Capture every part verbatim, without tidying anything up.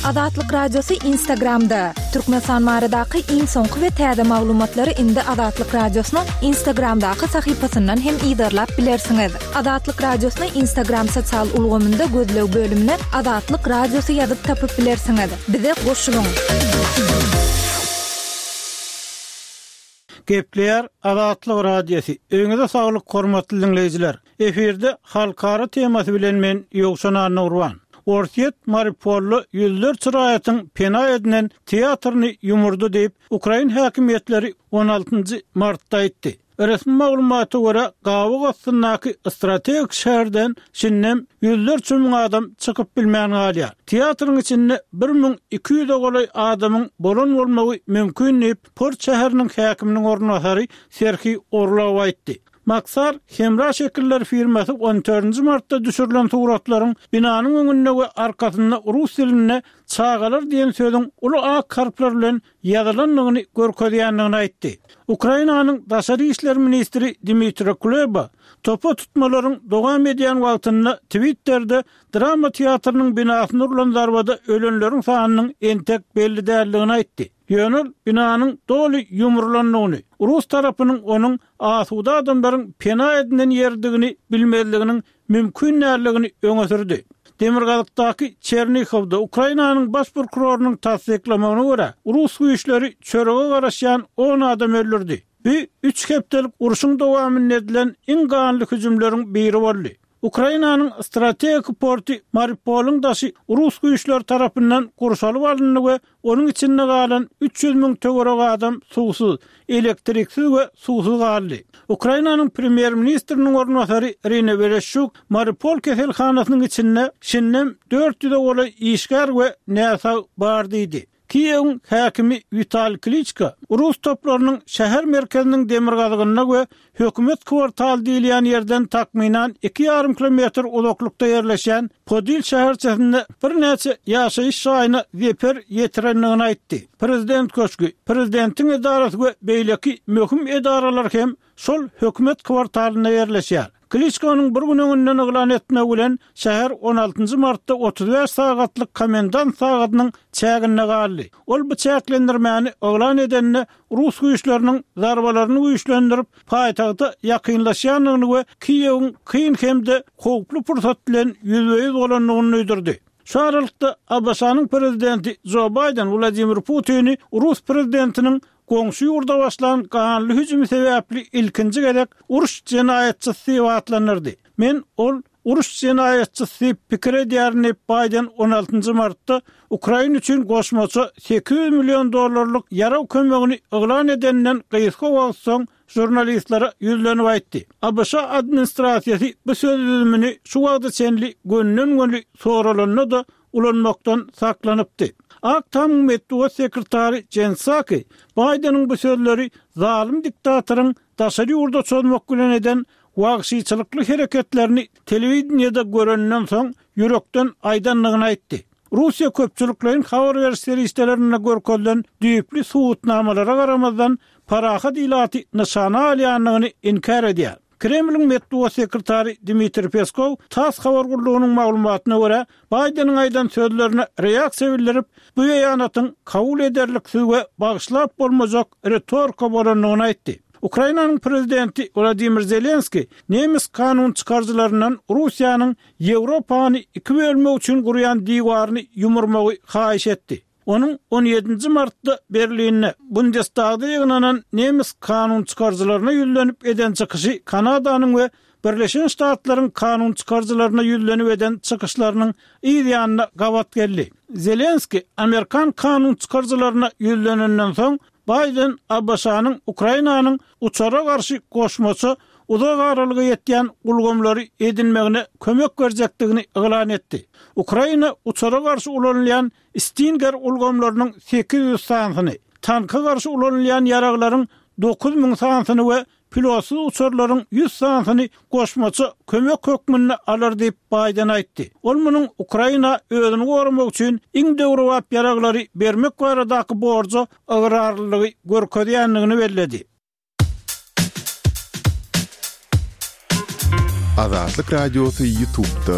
Azatlyk Radiosy Instagramda. Türkmenistan baradaky iň soňky we täze maglumatlary indi Azatlyk Radiosynyň Instagramdaky sahypasyndan hem yzarlap bilersiňiz. Azatlyk Radiosyny Instagram sosial ulgamynda gözleg bölümine Azatlyk Radiosy ýazyp tapyp bilersiňiz. Bize goşulyň. Gepleýär Azatlyk Radiosy. Öýüňize saglyk hormatly diňleýjiler. Efirde halkara temasy bilen men Ýowşan Annagurban. Orsýet Mariupolda ýüzlerçe raýatyň pena edinen teatryny ýumurdy diýip, ukrain häkimiýetleri on altynjy martda aýtdy. Resmi maglumata görä, gabyk astyndaky strategik şäherden şindem ýüzlerçe müň adam çykyp bilmän galýar. Teatryň içinde bir müň iki ýüze golaý adamyň bolan bolmagy mümkin diýip, Port şäheriniň häkiminiň orunbasary Serhiý Orlow aýtdy. Maksar hemra şekiller firmasy on dördünji martda düşürilen suratlaryň binanyň öňünde we arkasynda rus dilinde çagalar diýen sözüň uly ak harplar bilen ýazylandygyny görkezýändigini aýtdy. Ukrainanyň daşary işler ministri Dmitri Kuleba topa tutmalaryň dowam edýän wagtynda Twitter'de drama teatrynyň binasyna urlan zarbada ölenleriň sanynyň entek belli däldigini aýtdy. Ýöne binanyň doly ýumrulandygyny, rus tarapynyň onuň asuda adamlaryň pena edinen ýerdigini bilmezliginiň mümkin däldigini öňe sürdi. Demirgazykdaky Çernihovda Ukrainanyň baş prokurorynyň tassyklamagyna görä, rus güýçleri çörege garaşýan on adam öldürdi. Bu üç hepdelik urşuň dowamynda edilen iň ganly hüjümleriň biri boldy. Ukrainanyň strategik porty Mariupolyň daşy rus güýçleri tarapyndan gurşalyp alyndy we onuň içinde galan üç ýüz müň töwerek adam suwsuz, elektriksiz we suwsuz galdy. Ukrainanyň premýer-ministriniň orunbasary Irina Wereşçuk Mariupol keselhanasynyň içinde şindem dört ýüze golaý işgär we näsag bar diýdi. Kiýewiň häkimi Wital Kliçko rus toplarynyň şäher merkeziniň demirgazygynda we hökümet kwartaly diýilýän ýerden takmynan iki ýarym kilometr uzaklykda ýerleşýän Podil şäherçesinde birnäçe ýaşaýyş jaýyna zeper ýetirendigini aýtdy. Prezident köşgi, prezidentiň edarasy we beýleki möhüm edaralar hem şol hökümet kwartalynda ýerleşýär. Kliçkonyň bir gün öňünden yglan etmegi bilen şäher on altynjy martda otuz bäş sagatlyk komendant sagadynyň çäginde galdy. Ol bu çäklendirmäni yglan edende rus güýçleriniň zarbalaryny güýçlendirip, paýtagta ýakynlaşýandygyny we Kiýewiň kyn hem-de howply pursat bilen ýüzbe-ýüz bolandygyny duýdurdy. Şu aralykda A B Ş-nyň prezidenti Jo Bayden Wladimir Putini rus prezidentiniň goňşy ýurda başlan ganly hüjümi sebäpli ilkinji gezek uruş jenaýatçysy diýip atlandyrdy. Men ol uruş jenaýatçysy diýip pikir edýärin diýip Bayden on altynjy martda Ukraina üçin goşmaça sekiz ýüz million dollarlyk ýarag kömegini yglan edenden gysga wagt soň žurnalistlere ýüzlenip aýtdy. A B Ş administrasiýasy bu söz düzümini şu wagta çenli gönden-göni soralanda da ulanmakdan saklanypdy. Ak Tamyň metbugat sekretary Jen Psaki Baydeniň bu sözleri zalym diktatoryň daşary ýurda çozmak bilen eden wagşyçylykly hereketlerini telewideniýede görenden soň ýürekden aýdandygyny aýtdy. Russiýa köpçülikleýin habar beriş serişdelerinde görkezilen düýpli subutnamalara garamazdan parahat ilaty nyşana alýandygyny inkär edýär. Kremliň metbugat sekretary Dmitri Peskov TASS habar gullugynyň maglumatyna görä, Baydeniň aýdan sözlerine reaksiýa bildirip, bu beýanatyň kabul ederliksiz we bagyşlap bolmajak ritorika bolandygyny aýtdy. Ukrainanyň prezidenti Wladimir Zelenski nemes kanun çykaryjylaryndan Russiýanyň Ýewropany iki bölmek üçin gurýan diwaryny ýumurmagy haýyş etdi. Onuň on ýedinji martda Berlinde Bundestagda ýygnanan nemes kanun çykaryjylaryna ýüzlenip eden çykyşy Kanadanyň we Birleşen Ştatlaryň kanun çykaryjylaryna ýüzlenip eden çykyşlarynyň yz ýanyna gabat geldi. Zelenski Amerikan kanun çykaryjylaryna ýüzlenenden soň Bayden A B Ş-nyň Ukrainanyň uçara garşy goşmaça uzak aralyga ýetýän ulgamlary edinmegine kömek berjekdigini yglan etdi. Ukraina uçara garşy ulanylýan Stinger ulgamlarynyň sekiz ýüz sanysyny, tanka garşy ulanylýan ýaraglaryň dokuz müň sanysyny we pilotsyz uçarlaryň ýüz sanysyny goşmaça kömek hökmünde alar diýip Bayden aýtdy. Ol munuň Ukraina özüni goramak üçin iň döwrebap ýaraglary bermek baradaky borja ygrarlylygy görkezýändigini belledi. Azatlyk Radiosy YouTube'da.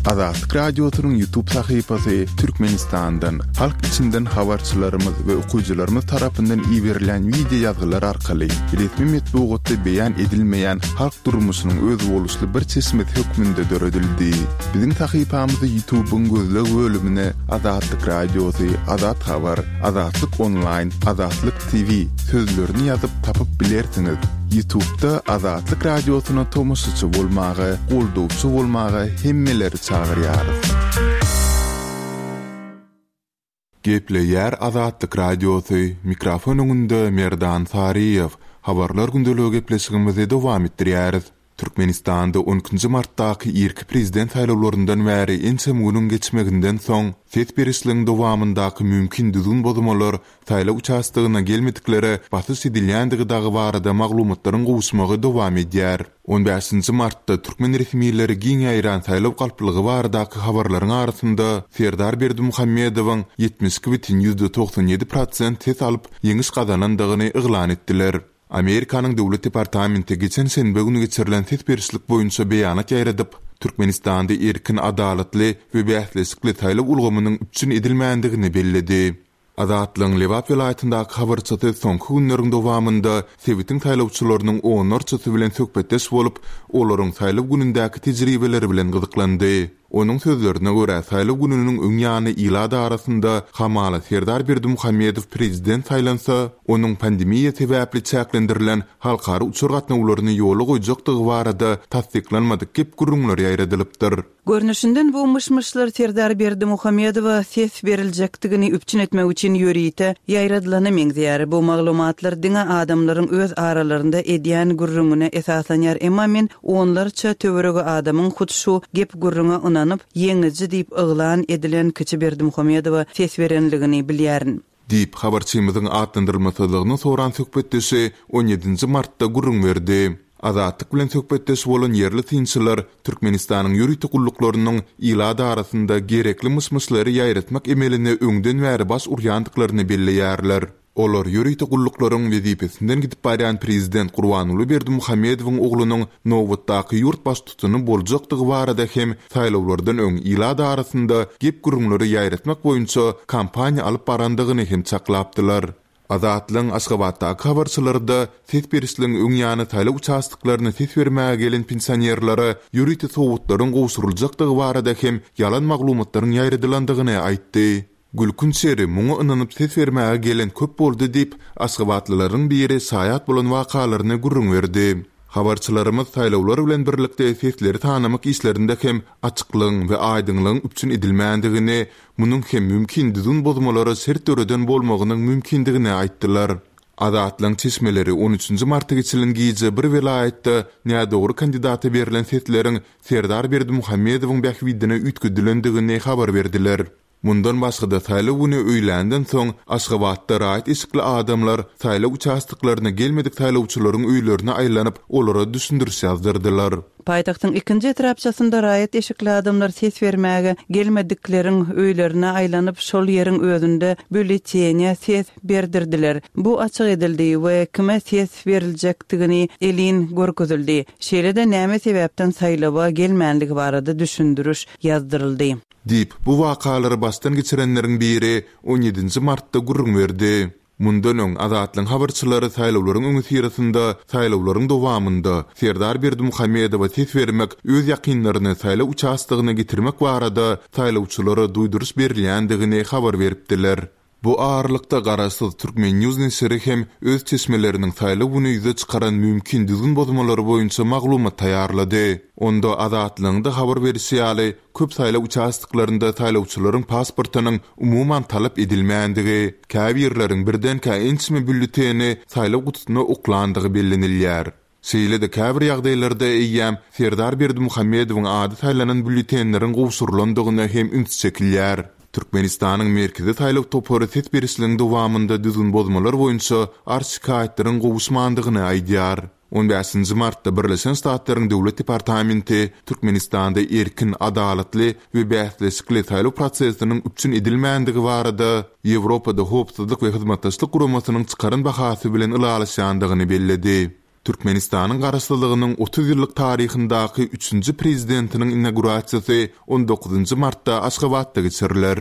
Azatlyk Radiosynyň YouTube sahypasy Türkmenistandan, halk içinden habarçylarymyz we okyjylarymyz tarapyndan iberilýän wideo ýazgylar arkaly resmi metbugatda beýan edilmeýän halk durmuşynyň özboluşly bir çeşmesi hökmünde döredildi. Biziň sahypamyzy YouTube-yň gözleg bölümine Azatlyk Radiosy, Azat Habar, Azatlyk Onlaýn, Azatlyk T V sözlerini ýazyp tapyp bilersiňiz. YouTube-da Azatlyk Radiosyna tomaşaçy bolmaga, goldawçy bolmaga hemmeleri çagyrýarys. Gepleýär Azatlyk Radiosy, mikrofon öňünde Merdan Saryýew. Habarlar gündeligi gepleşigimizi dowam etdirýäris. Türkmenistanda on ikinji martdaky irki prezident saýlawlaryndan bäri ençeme günüň geçmeginden soň ses berişligiň dowamyndaky mümkin düzgün bozmalar saýlaw uçastogyna gelmediklere basyş edilýändigi dagy barada maglumatlaryň gowuşmagy dowam edýär. On bäşinji martda türkmen resmileri giň ýaýran saýlaw galplygy baradaky habarlaryň arasynda Serdar Berdimuhamedowyň ýetmiş iki bütin ýüzde togsan ýedi prosent ses alyp ýeňiş gazanandygyny yglan etdiler. Amerikanyň Döwlet departamenti geçen şenbe günü geçirilen ses berişlik boýunça beýanat ýaýradyp, Türkmenistanda erkin, adalatly we bäsleşikli saýlaw ulgamynyň üpjün edilmändigini belledi. Azatlygyň Lebap welaýatyndaky habarçysy soňky günleriň dowamynda sebitiň saýlawçylarynyň onlarçasy bilen söhbetdeş bolup, olaryň saýlaw günündäki tejribeleri bilen gyzyklandy. Onuň sözlerine görä, saýlaw gününiň öň ýany ilat arasynda hamala Serdar Berdimuhamedow prezident saýlansa, onuň pandemiýa sebäpli çäklendirilen halkara uçar gatnawlaryny ýola goýjakdygy barada tassyklanmadyk gep gürrüňler ýaýradylypdyr. Görnüşinden bu myş-myşlar Serdar Berdimuhamedowa ses beriljekdigini üpjün etmek üçin ýörite ýaýradylany meňzeýär. Bu maglumatlar diňe adamlaryň öz aralarynda edýän gürrüňine esaslanýar. Emma men onlarça töweregi adamyň hut şu gep gürrüňe ynanyp, ýeňiji diýip yglan edilen kiçi Berdimuhamedowa ses berenligini bilýärin. Diýip, habarçymyzyň atlandyrylmasyzlygyny soran söhbetdeşi on ýedinji martda gürrüň berdi. Azatlyk bilen söhbetdeş bolan ýerli synçylar Türkmenistanyň ýörite gulluklarynyň ilat arasynda gerekli myş-myşlary ýaýratmak emeline öňden bäri baş urýandyklaryny belleýärler. Olar ýörite gulluklaryň wezipesinden gidip barýan prezident Gurbanguly Berdimuhamedowyň oglunyň nobatdaky ýurt baştutany boljakdygy barada hem saýlawlardan öň ilat arasynda gep gürrüňleri ýaýratmak boýunça kampaniýa alyp barandygyny hem çaklapdylar. Azatlygyň Aşgabatdaky habarçylarda ses berişligiň öň ýany saýlaw uçastoklaryna ses bermäge gelen pensionerlere ýörite sowgatlaryň gowşuryljakdygy barada hem ýalan maglumatlaryň ýaýradylandygyny aýtdy. Gülkünç ýeri muňa ynanyp ses bermäge gelen köp boldy diýip, Aşgabatlylaryň biri şaýat bolan wakalaryny gürrüň berdi. Habarçylarymyz saýlawlar bilen birlikde sesleri tanamak işlerinde hem açyklygyň we aýdyňlygyň üpjün edilmändigini, munuň hem mümkin düzgün bozmalara şert döreden bolmagynyň mümkindigini aýtdylar. Azatlygyň çeşmeleri on üçünji marta geçirilen gije bir welaýatda nädogry kandidata berlen sesleriň Serdar Berdimuhamedowyň bähbidine üýtgedilendigini habar berdiler. Mundan başga-da saýlaw güni öýländen soň Aşgabatda raýat eşikli adamlar saýlaw uçastoklaryna gelmedik saýlawçylaryň öýlerine aýlanyp, olara düşündiriş ýazdyrdylar. Paýtagtyň ikinji etrapçasynda raýat eşikli adamlar ses bermäge gelmedikleriň öýlerine aýlanyp, şol ýeriň özünde bülletene ses berdirdiler. Bu açyk edildi we kime ses beriljekdigini elin görkezildi. Şeýle-de näme sebäpden saýlawa gelmänligi barada düşündiriş ýazdyryldy. Diýip, bu wakalary başdan geçirenleriň biri on ýedinji martda gürrüň berdi. Mundan öň Azatlygyň habarçylary saýlawlaryň öňüsyrasynda saýlawlaryň dowamynda Serdar Berdimuhamedowa ses bermek, öz ýakynlaryny saýlaw uçastogyna getirmek barada saýlawçylara duýduryş berilýändigini habar beripdiler. Bu aralykda Garaşsyz Türkmen News neşiri hem öz çeşmeleriniň saýlaw güni ýüze çykaran mümkin düzgün bozmalary boýunça maglumat taýýarlady. Onda Azatlygyň habar berişi ýaly, köp saýlaw uçastoklarynda saýlawçylaryň pasportynyň umuman talap edilmändigi, käbirleriň birdenkä ençeme bülleteni saýlaw gutusyna oklandygy bellenilýär. Şeýle-de käbir ýagdaýlarda eýýäm Serdar Berdimuhamedowyň ady saýlanan bülletenleriň gowşurylandygyna hem üns çekilýär. Türkmenistanyň Merkezi saýlaw topary ses berişligiň dowamynda düzgün bozmalar boýunça arz şikaýatlaryň gowuşmandygyny aýdýar. On bäşinji martda Birleşen Ştatlaryň Döwlet departamenti Türkmenistanda erkin, adalatly we bäsleşikli saýlaw prosesiniň üpjün edilmändigi barada Ýewropada Howpsuzlyk we Hyzmatdaşlyk Guramasynyň çykaran bahasy bilen ylalaşýandygyny belledi. Türkmenistanyň Garaşsyzlygynyň otuz ýyllyk taryhyndaky üçünji prezidentiniň inaugurasiýasy on dokuzynjy martda Aşgabatda geçiriler.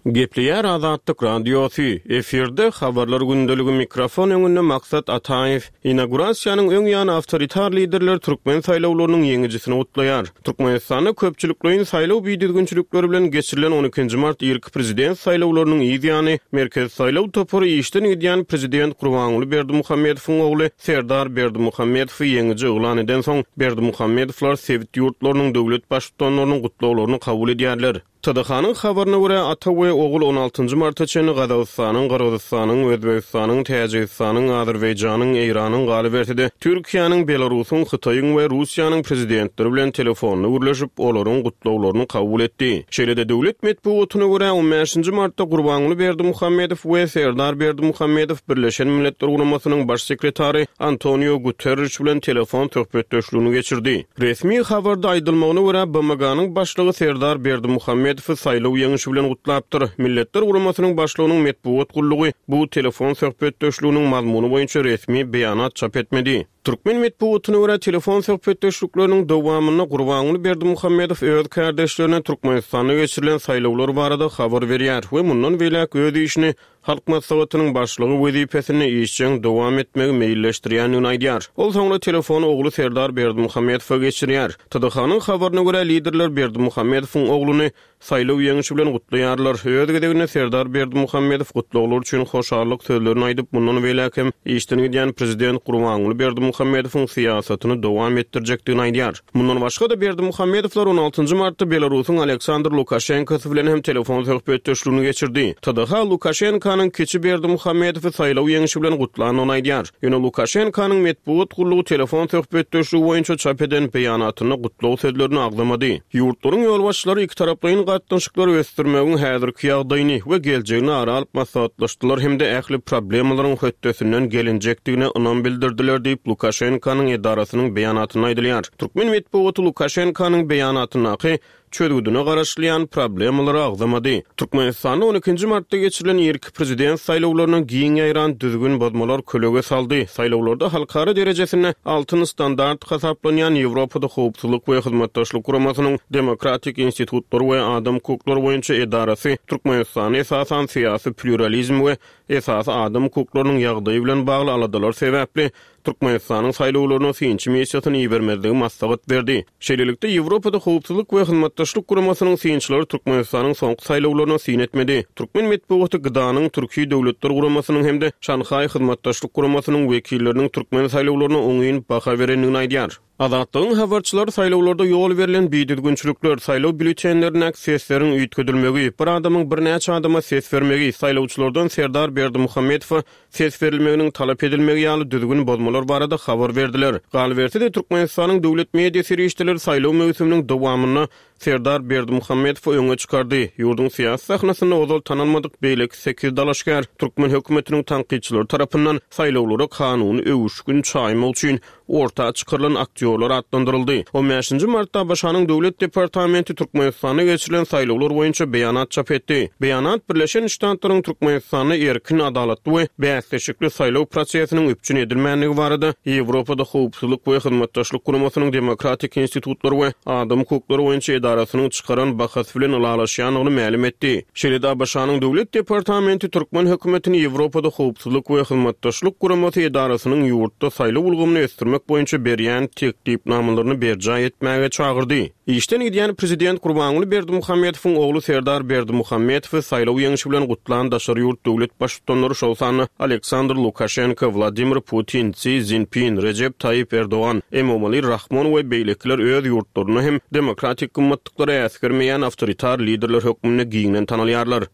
Gepleýär Azatlyk Radiosy. Efirde habarlar gündeligi mikrofon öňünde Maksat Ataýew. Inaugurasiýanyň öň ýany awtoritar liderler türkmen saýlawlarynyň ýeňijisini gutlaýar. Türkmenistanda köpçülikleýin saýlaw bidüzgünçilikleri bilen geçirilen on ikinji mart irki prezident saýlawlarynyň yz ýany Merkezi saýlaw topary işden gidýän prezident Gurbanguly Berdimuhamedowyň ogly Serdar Berdimuhamedowy ýeňiji yglan eden soň Berdimuhamedowlar sebit ýurtlarynyň döwlet baştutanlarynyň gutlaglaryny kabul edýärler. T D H-nyň habaryna görä ata we ogul on altynjy marta çenli Gazagystanyň, Gyrgyzystanyň, Özbegistanyň, Täjigistanyň, Azerbaýjanyň, Eýranyň, galyberse-de Türkiýäniň, Belarusyň, Hytaýyň we Russiýanyň prezidentleri bilen telefonda gürleşip, olaryň gutlaglaryny kabul etdi. Şeýle-de döwlet metbugatyna görä on bäşinji martda Gurbanguly Berdimuhamedow we Serdar Berdimuhamedow Birleşen Milletler Guramasynyň baş sekretary Antonio Guterres bilen telefon söhbetdeşligini geçirdi. Resmi habarda aýdylmagyna görä B M G-nyň başlygy Serdar Berdimuhamedow saýlaw ýeňişi bilen gutlapdyr. Milletler Guramasynyň başlygynyň metbugat gullugy bu telefon söhbetdeşliginiň mazmuny boýunça resmi beýanat çap etmedi. Türkmen metbugatyna görä telefon söhbetdeşlikleriniň dowamynda Gurbanguly Berdimuhamedow öz kardeşlerine Türkmenistanda geçirilen saýlawlar barada habar berýär we mundan beýläk öz işini Halk Maslahatynyň başlygy wezipesini işjeň dowam etmegi meýilleşdirýändigini aýdýar. Ol soňra telefony ogly Serdar Berdimuhamedowa geçirýär. T D H-nyň habaryna görä liderler Berdimuhamedowyň ogluny saýlaw ýeňişi bilen gutlaýarlar. Öz gezeginde Serdar Berdimuhamedow gutlaglar üçin hoşallyk sözlerini aýdyp, mundan beýläk hem işden gidýän prezident Gurbanguly Berdimuhamedowyň syýasatyny dowam etdirjekdigini aýdýar. Mundan başga-da Berdimuhamedowlar on altynjy martda Belarusyň Aleksandr Lukaşenkosy bilen hem telefon söhbetdeşligini geçirdi. T D H Lukaşenkanyň kiçi Berdimuhamedowy saýlaw ýeňişi bilen gutlandygyny aýdýar. Ýöne Lukaşenkanyň metbugat gullugy telefon söhbetdeşligi boýunça çap eden beýanatynda gutlag sözlerini agzamady. Ýurtlaryň ýolbaşçylary iki taraplaýyn gatnaşyklary ösdürmegiň häzirki ýagdaýyny we geljegini ara alyp maslahatlaşdylar hem-de ähli problemalaryň hötdesinden gelinjekdigine ynam bildirdiler diýip Lukaşenkanyň edarasynyň beýanatynda aýdylýar. Türkmen metbugaty Lukaşenkanyň beýanatyndaky çözgüdine garaşylýan problemalara agzamady. Türkmenistanda on ikinji martda geçirilen irki prezident saýlawlarynyň giň ýaýran düzgün bozmalar kölege saldy. Saýlawlarda halkara derejesinde altyn standart hasaplanýan Ýewropada howpsuzlyk we hyzmatdaşlyk guramasynyň demokratik institutlary we adam hukuklary boýunça edarasy Türkmenistany esasan syýasy pluralizm we esasy adam hukuklarynyň ýagdaýy bilen bagly aladalar sebäpli Türkmenistanyň saýlawlaryna synçy missiýasyny ibermezligi maslahat berdi. Şeýlelikde Ýewropada howpsuzlyk we hyzmatdaşlyk guramasynyň synçylary Türkmenistanyň soňky saýlawlaryna syn etmedi. Türkmen metbugaty G D A'nyň Türkiýe Döwletler Guramasynyň hem-de Şanhaý Hyzmatdaşlyk Guramasynyň wekilleriniň türkmen saýlawlaryna oňyn baha berendigini aýdýar. Azatlygyň habarçylary saýlawlarda ýol berlen bidüzgünçilikler, saýlaw býulletenlerindäki sesleriň üýtgedilmegi, bir adamyň birnäçe adama ses bermegi, saýlawçylardan Serdar Berdimuhamedowa ses berilmeginiň talap edilmegi ýaly düzgün bozmalar barada habar berdiler. Galyberse-de Türkmenistanyň döwlet media serişdeleri saýlaw möwsüminiň dowamynda Serdar Berdimuhamedowy öňe çykardy. Ýurduň syýasy sahnasynda ozal tanalmadyk beýleki sekiz dalaşgär türkmen hökümetiniň tankytçylary tarapyndan saýlawlara kanuny öwüşgin çaýmak üçin orta çykarylan aktýorlar atlandyryldy. on bäşinji martda A B Ş-nyň Döwlet Departamenti Türkmenistanda geçirilen saýlawlar boýunça beýanat çap etdi. Beýanat Birleşen Ştatlaryň Türkmenistanda erkin, adalatly we bäsleşikli saýlaw prosesiniň üpjün edilmänligi barada Ýewropada howpsuzlyk we hyzmatdaşlyk guramasynyň demokratik institutlary we adam hukuklary boýunça edarasynyň çykaran bahasy bilen ylalaşýandygyny mälim etdi. Şeýle-de A B Ş-nyň Döwlet Departamenti türkmen hökümetini Ýewropada howpsuzlyk we hyzmatdaşlyk guramasy edarasynyň ýurtda saýlaw ulgamyny ösdürmek boýunça berýän teklipnamalaryny berjaý etmäge çagyrdy. Işden gidýän prezident Gurbanguly Berdimuhamedowyň ogly Serdar Berdimuhamedowy saýlaw ýeňişi bilen gutlan daşary ýurt döwlet baştutanlary şol sanda Aleksandr Lukaşenko, Wladimir Putin, Si Szinpin, Rejep Taýyp Erdogan, Emomali Rahmon we beýlekiler öz ýurtlarynda hem demokratik gymmatlyklara äsgermeýän awtoritar liderler hökmünde giňden tanalýarlar.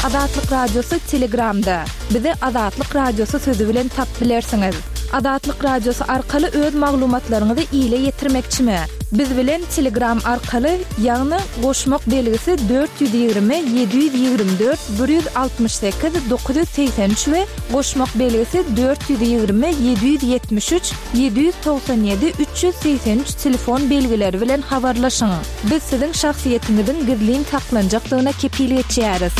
Azatlyk Radiosy Telegramda. Bizi Azatlyk Radiosy sözü bilen tap bilersiňiz. Azatlyk Radiosy arkaly öz maglumatlaryňyzy ile ýetirmekçimi? Biz bilen Telegram arkaly, ýagny goşmak belgisi dört ýüz ýigrimi, ýedi ýüz ýigrimi dört, bir ýüz altmyş sekiz, dokuz ýüz segsen üç we goşmak belgisi dört ýüz ýigrimi, ýedi ýüz ýetmiş üç, ýedi ýüz togsan ýedi, üç ýüz segsen üç telefon belgileri bilen habarlaşyň. Biz siziň şahsyýetiňiziň gizlin saklanjakdygyna kepil geçýäris.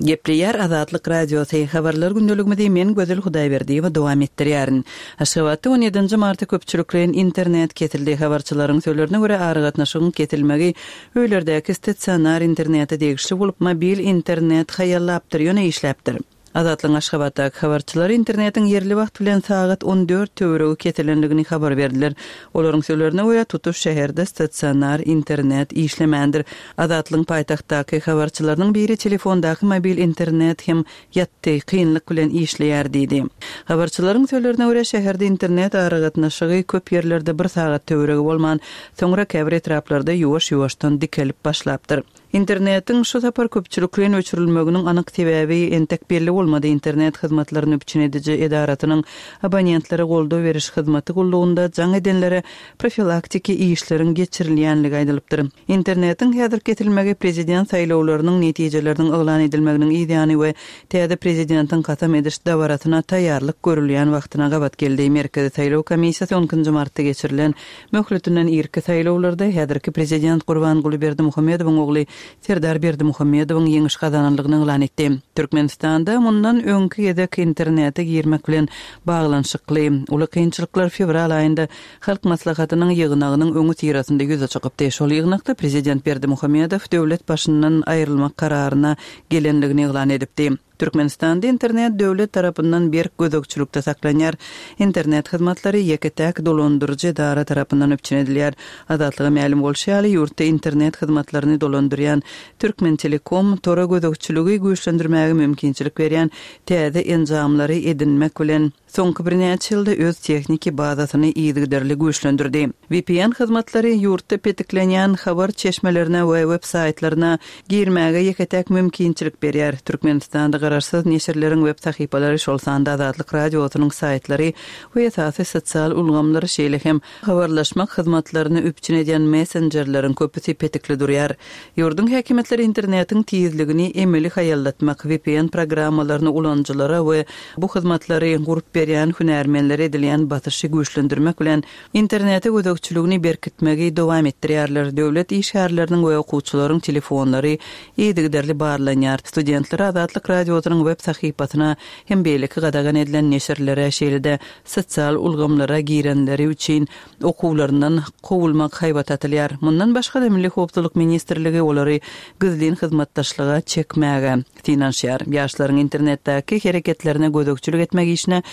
Gepleýär Azatlyk Radiosy, Habarlar gündeligimizi men Gözel Hudaýberdiýewa dowam etdirýärin. Aşgabatda on ýedinji martda köpçülikleýin internet kesildi. Habarçylaryň sözlerine görä, aragatnaşygyň kesilmegi öýlerdäki stasionar internete degişli bolup, mobil internet haýallapdyr, ýöne işläpdir. Azatlygyň Aşgabatdaky habarçylary internetiň ýerli wagt bilen sagat on dört töweregi kesilendigini habar berdiler. Olaryň sözlerine görä, tutuş şäherde stasionar internet işlemändir. Azatlygyň paýtagtdaky habarçylarynyň biri telefondaky mobil internet hem ýatdy, kynlyk bilen işleýär diýdi. Habarçylaryň sözlerine görä, şäherde internet aragatnaşygy köp ýerlerde bir sagat töweregi bolman, soňra käbir etraplarda ýuwaş-ýuwaşdan dikelip başlapdyr. Internetiň şu sapar köpçülikleýin öçürilmeginiň anyk sebäbi entek belli bolmady. Internet hyzmatlaryny üpjün ediji edarasynyň abonentlere goldaw beriş hyzmaty gullugynda jaň edenlere profilaktiki işleriň geçirilýänligi aýdylypdyr. Internetiň häzir kesilmegi prezident saýlawlarynyň netijeleriniň yglan edilmeginiň ýany we täze prezidentiň kasam ediş dabarasyna taýýarlyk görülýän wagtyna gabat geldi. Merkezi saýlaw komissiýasy on ikinji martda geçirilen möhletinden irki saýlawlarda häzirki prezident Gurbanguly Berdimuhamedowyň ogly Serdar Berdimuhamedowyň ýeňiş gazananlygyny yglan etdi. Türkmenistanda mundan öňki gezek internete girmek bilen baglanyşykly uly kynçylyklar fewral aýynda Halk Maslahatynyň ýygnagynyň öňi syrasynda ýüze çykypdy. Şol ýygnakda prezident Berdimuhamedow döwlet başyndan aýrylmak kararyna gelenligini yglan edipdi. Türkmenistanda internet döwlet tarapyndan berk gözegçilikde saklanýar. Internet hyzmatlary ýeke-täk dolandyryjy edara tarapyndan üpjün edilýär. Azatlyga mälim bolşy ýaly, ýurtda internet hyzmatlaryny dolandyrýan Türkmen Telekom tora gözegçiligi güýçlendirmäge mümkinçilik berýän täze enjamlary edinmek bilen soňky birnäçe ýylda öz tehniki bazasyny yzygiderli güýçlendirdi. V P N hyzmatlary ýurtda petiklenýän habar çeşmelerine we web saýtlaryna girmäge ýeke-täk mümkinçilik berýär. Türkmenistanda garaşsyz neşirleriň web sahypalary, şol sanda Azatlyk Radiosynyň saýtlary we esasy sosial ulgamlary, şeýle hem habarlaşmak hyzmatlaryny üpjün edýän messenjerleriň köpüsi petikli durýar. Ýurduň häkimiýetleri internetiň tizligini emeli haýallatmak, V P N programmalaryny ulanyjylara we bu hyzmatlary gurup berýän hünärmenlere edilýän basyşy güýçlendirmek bilen internete gözegçiligini berkitmegi dowam etdirýärler. Döwlet işgärleriniň we okuwçylaryň telefonlary yzygiderli barlanýar. Studentler Azatlyk Radiosynyň web sahypasyna hem beýleki gadagan edilen neşirlere, şeýle-de sosial ulgamlara girenleri üçin okuwlaryndan kowulmak haýbat atylýar. Mundan başga-da Milli Howpsuzlyk Ministrligi olary gizlin hyzmatdaşlyga çekmäge synanyşýar. Ýaşlaryň internetdäki hereketlerine gözegçilik etmek işine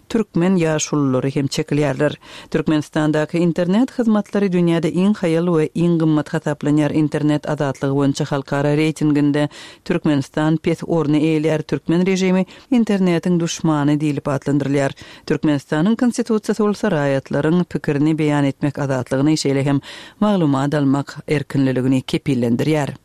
türkmen ýaşululary hem çekilýärler. Türkmenistandaky internet hyzmatlary dünýäde iň haýal we iň gymmat hasaplanýar. Internet azatlygy boýunça halkara reýtinginde Türkmenistan pes orny eýeleýär. Türkmen režimi internetiň duşmany diýlip atlandyrylýar. Türkmenistanyň konstitusiýasy bolsa raýatlaryň pikirini beýan etmek azatlygyny, şeýle hem maglumat almak erkinligini kepillendirýär.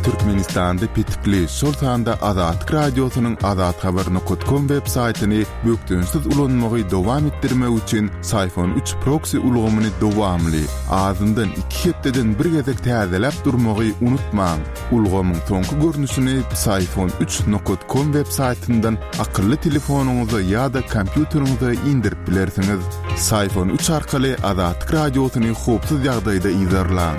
Türkmenistanda petikli, şol sanda Azatlyk Radiosynyň azathabar nokta com web saýtyny bökdençsiz ulanmagy dowam etdirmek üçin Syfon üç proxy ulgamyny dowamly, azyndan iki hepdeden bir gezek täzeläp durmagy unutmaň. Ulgamyň soňky görnüşini Syfon üç nokta com web saýtyndan akylly telefonyňyza ýa-da kompýuteriňize indirip bilersiňiz. Syfon üç arkaly Azatlyk Radiosyny howpsuz ýagdaýda yzarlaň.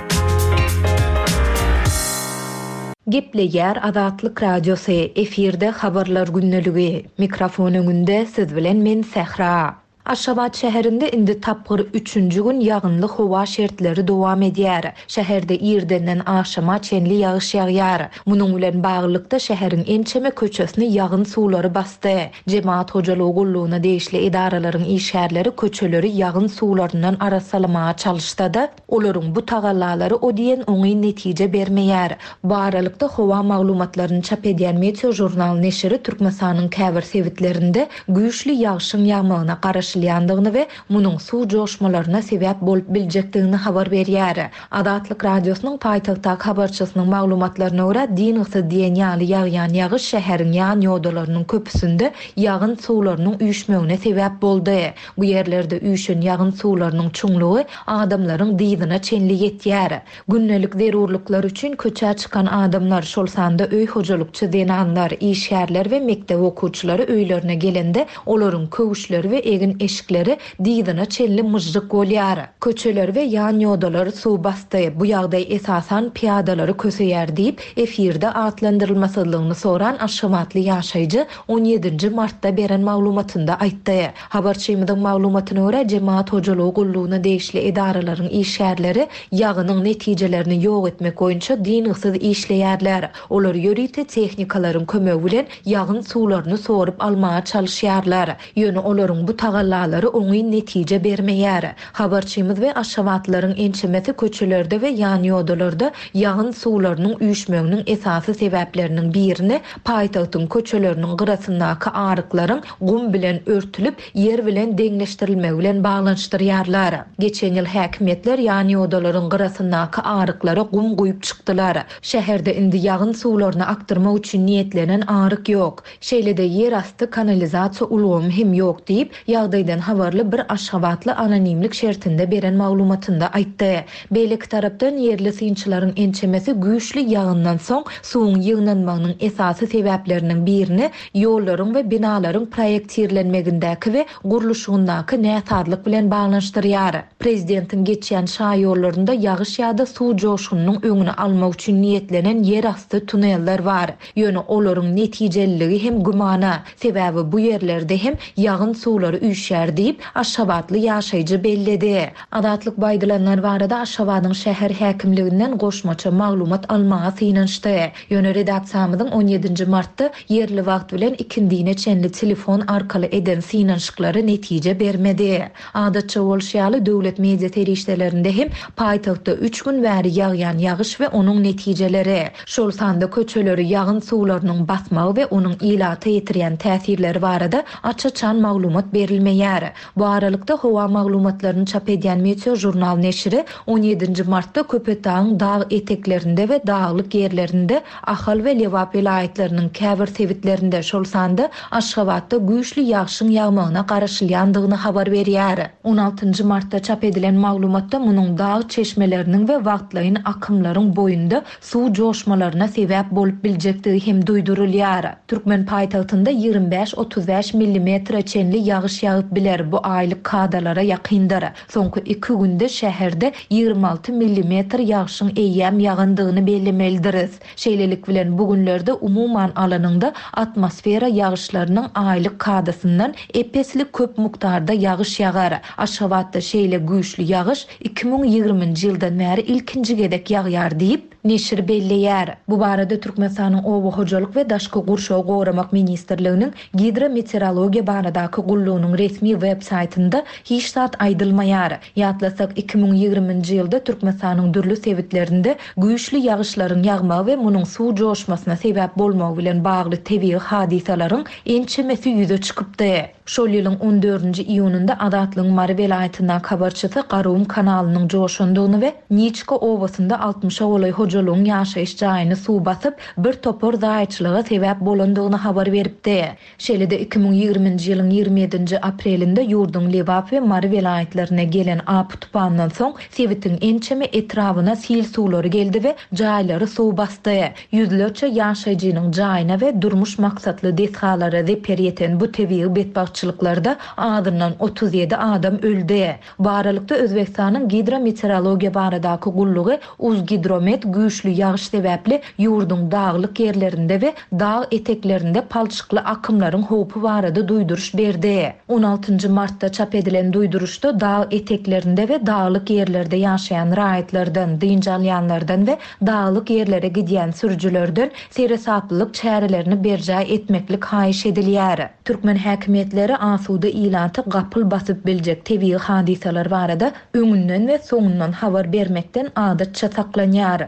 Gepleýär Azatlyk Radiosy, efirde habarlar gündeligi. Mikrofon öňünde siz bilen men Sähra. Aşgabat şäherinde indi tapgyr üçünji gün ýagynly howa şertleri dowam edýär. Şäherde irdenden agşama çenli ýagyş ýagýar. Munuň bilen baglylykda şäheriň ençeme köçesini ýagyn suwlary basdy. Jemaat hojalygy gullugyna degişli edaralaryň işgärleri köçeleri ýagyn suwlaryndan arassalamaga çalyşsa-da, olaryň bu tagallalary o diýen oňyn netije bermeýär. Bu aralykda howa maglumatlaryny çap edýän Meteo Jurnal neşiri Türkmenistanyň käbir sebitlerinde güýçli ýagşyň ýagmagyna garaşylýandygyny we munuň suw joşmalaryna sebäp bolup biljekdigini habar berýär. Azatlyk Radiosynyň paýtagtdaky habarçysynyň maglumatlaryna görä, dyngysyz diýen ýaly ýagýan ýagyş şäheriň ýan ýodalarynyň köpüsinde ýagyn suwlarynyň üýşmegine sebäp boldy. Bu ýerlerde üýşen ýagyn suwlarynyň çuňlugy adamlaryň dyzyna çenli ýetýär. Gündelik zerurlyklar üçin köçä çykan adamlar, şol sanda öý hojalykçy zenanlar, işgärler we mekdep okuwçylary öýlerine gelende olaryň köwüşleri we egin egin-eşikleri dyzyna çenli myžžyk bolýar. Köçeleri we ýanýodalary suw basdy. Bu ýagdaý esasan pyýadalary köseýär diýip, efirde atlandyrylmasyzlygyny soran aşgabatly ýaşaýjy on ýedinji martda beren maglumatynda aýtdy. Habarçymyzyň maglumatyna görä, Jemaat hojalygy gullugyna degişli edaralaryň işgärleri ýagynyň netijelerini ýok etmek boýunça dyngysyz işleýärler. Olar ýörite tehnikalaryň kömegi bilen ýagyn suwlaryny sorup almaga çalyşýarlar. Ýöne olaryň bu tagallalary oňyn netije bermeýär. Habarçymyz we aşgabatlylaryň ençemesi köçelerde we ýanýodalarda ýagyn suwlarynyň üýşmeginiň esasy sebäpleriniň birini paýtagtyň köçeleriniň gyrasyndaky aryklaryň gum bilen örtülip, ýer bilen deňleşdirilmegi bilen baglanyşdyrýarlar. Geçen ýyl häkimiýetler ýanýodalaryň gyrasyndaky aryklara gum guýup çykdylar. Şäherde indi ýagyn suwlaryny akdyrmak üçin niýetlenen aryk ýok. Şeýle-de ýerasty kanalizasiýa ulgamy hem ýok diýip, ýagdaýdan habarly bir aşgabatly anonimlik şertinde beren maglumatynda aýtdy. Beýleki tarapdan ýerli synçylaryň ençemesi güýçli ýagyndan soň suwuň ýygnanmagynyň esasy sebäpleriniň birini ýollaryň we binalaryň proýektirlenmegindäki we gurluşygyndaky näsazlyk bilen baglanyşdyrýar. Prezidentiň geçýän şaýollarynda ýagyş ýa-da suw joşgunynyň öňüni almak üçin niýetlenen ýerasty tuneller bar. Ýöne olaryň netijeliligi hem gümana. Sebäbi bu ýerlerde hem ýagyn suwlary üýşýär diýip, Aşgabatly ýaşaýjy belledi. Azatlyk baýdylanlar barada Aşgabadyň şäher häkimliginden goşmaça maglumat almaga synanyşdy. Ýöne redaksiýamyzyň on ýedinji martda ýerli wagt bilen ikindine çenli telefon arkaly eden synanyşyklary netije bermedi. Adatça bolşy ýaly döwlet media serişdelerinde hem paýtagtda üç gün bäri ýagýan ýagyş we onuň netijeleri, şol sanda köçeleri ýagyn suwlarynyň basmagy we onuň ilata ýetirýän täsirleri barada aç-açan maglumat berilmeýär. Bu aralykda howa maglumatlaryny çap edýän Meteo Jurnal neşiri on ýedinji martda Köpetdagyň dag eteklerinde we daglyk ýerlerinde Ahal we Lebap welaýatlarynyň käbir sebitlerinde, şol sanda Aşgabatda güýçli ýagşyň ýagmagyna garaşylýandygyny habar berýär. On altynjy martda çap edilen maglumatda munuň dag çeşmeleriniň we wagtlaýyn akymlaryň boýunda suw joşmalaryna sebäp bolup biljekdigi hem duýdurylýar. Türkmen paýtagtynda ýigrimi bäş otuz bäş millimetre çenli ýagyş ýagyp biler. Bu aýlyk kadalara ýakyndyr. Soňky iki günde şäherde ýigrimi alty millimetr ýagşyň eýýäm ýagandygyny bellemelidiris. Şeýlelik bilen bugünlerde umuman alanyňda atmosfera ýagyşlarynyň aýlyk kadasyndan epesli köp mukdarda ýagyş ýagar. Aşgabatda şeýle güýçli ýagyş iki müň ýigriminji ýyldan bäri ilkinji gezek ýagýar diýip, neşir belleýär. Bu barada Türkmenistanyň Oba hojalyk we daşky gurşawy goramak ministrliginiň gidrometeorologiýa baradaky gullugynyň resmi web saýtynda hiç zat aýdylmaýar. Ýatlasak iki müň ýigriminji ýylda Türkmenistanyň dürli sebitlerinde güýçli ýagyşlaryň ýagmagy we munuň suw joşmasyna sebäp bolmagy bilen bagly tebigy hadysalaryň ençemesi ýüze çykypdy. Şol ýylyň on dördünji iýunynda Azatlygyň Mary welaýatyndaky habarçysy Garum kanalynyň joşandygyny we Niçka obasynda altmyşa golaý hojalygyň ýaşaýyş jaýyny suw basyp, bir topar zaýaçylyga sebäp bolandygyny habar beripdi. Şeýle-de iki müň ýigriminji ýylyň ýigrimi ýedinji aprelinde ýurduň Lebap we Mary welaýatlaryna gelen apy tupandan soň sebitiň ençeme etrabyna sil suwlary geldi we jaýlary suw basdy. Ýüzlerçe ýaşaýjynyň jaýyna we durmuş maksatly desgalara zeper ýeten bu tebigy betbagtçylyklarda azyndan otuz ýedi adam öldi. Bu aralykda Özbekistanyň gidrometeorologiýa baradaky gullugy Uzgidromet güýçli ýagyş sebäpli ýurduň daglyk ýerlerinde we dag eteklerinde palçykly akymlaryň howpy barada duýduryş berdi. On altynjy martda çap edilen duýduryşda dag eteklerinde we daglyk ýerlerde ýaşaýan raýatlardan, dynç alýanlardan we daglyk ýerlere gidýän sürüjilerden seresaplylyk çärelerini berjaý etmeklik haýyş edilýär. Türkmen häkimiýetleri asuda ilaty gapyl basyp biljek tebigy hadysalar barada öňünden we soňundan habar bermekden adatça saklanýar.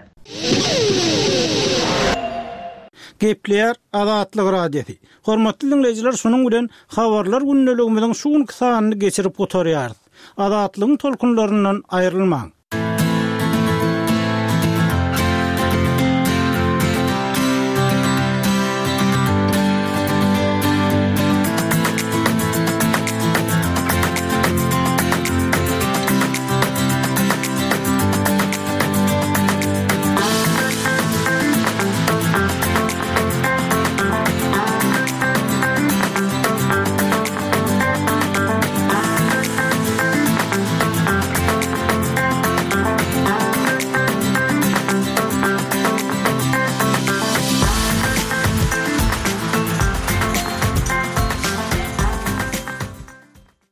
Gepleýär Azatlyk Radiosy. Hormatly dinleýjiler, şunuň bilen habarlar gündeligimiziň şu günki sanyny geçirip gutarýarys. Azatlygyň tolkunlaryndan aýrylmaň.